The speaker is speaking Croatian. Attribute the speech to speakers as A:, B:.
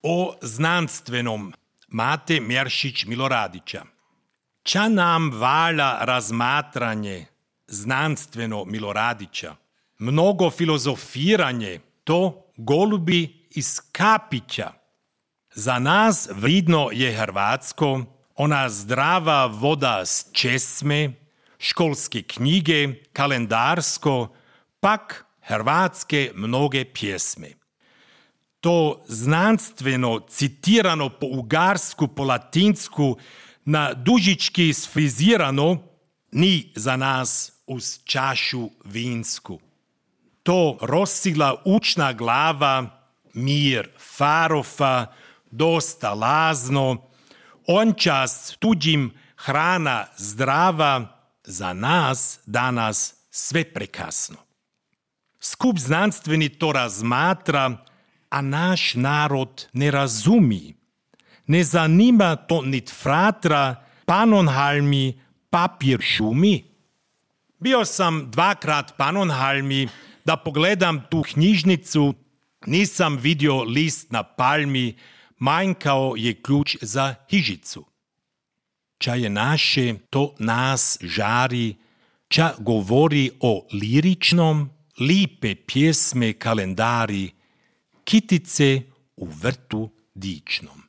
A: O znanstvenom Mate Mjeršić Miloradića. Ča nam valja razmatranje znanstveno Miloradića, mnogo filozofiranje, to golubi iz kapića. Za nas vridno je Hrvatsko, ona zdrava voda s česme, školske knjige, kalendarsko, pak hrvatske mnoge pjesme. To znanstveno citirano po ugarsku, po latinsku, na dužički sfrizirano, ni za nas uz čašu vinsku. To rosila učna glava, mir farofa, dosta lazno, ončas tuđim hrana zdrava, za nas danas sve prekasno. Skup znanstveni to razmatra, a naš narod ne razumi. Ne zanima to nit fratra, Pannonhalmi, papir šumi. Bio sam 2 Pannonhalmi da pogledam tu knjižnicu, nisam vidio list na palmi, manjkao je ključ za hižicu. Ča je naše, to nas žari, ča govori o liričnom, lipe pjesme kalendari, kitice u vrtu dičnom.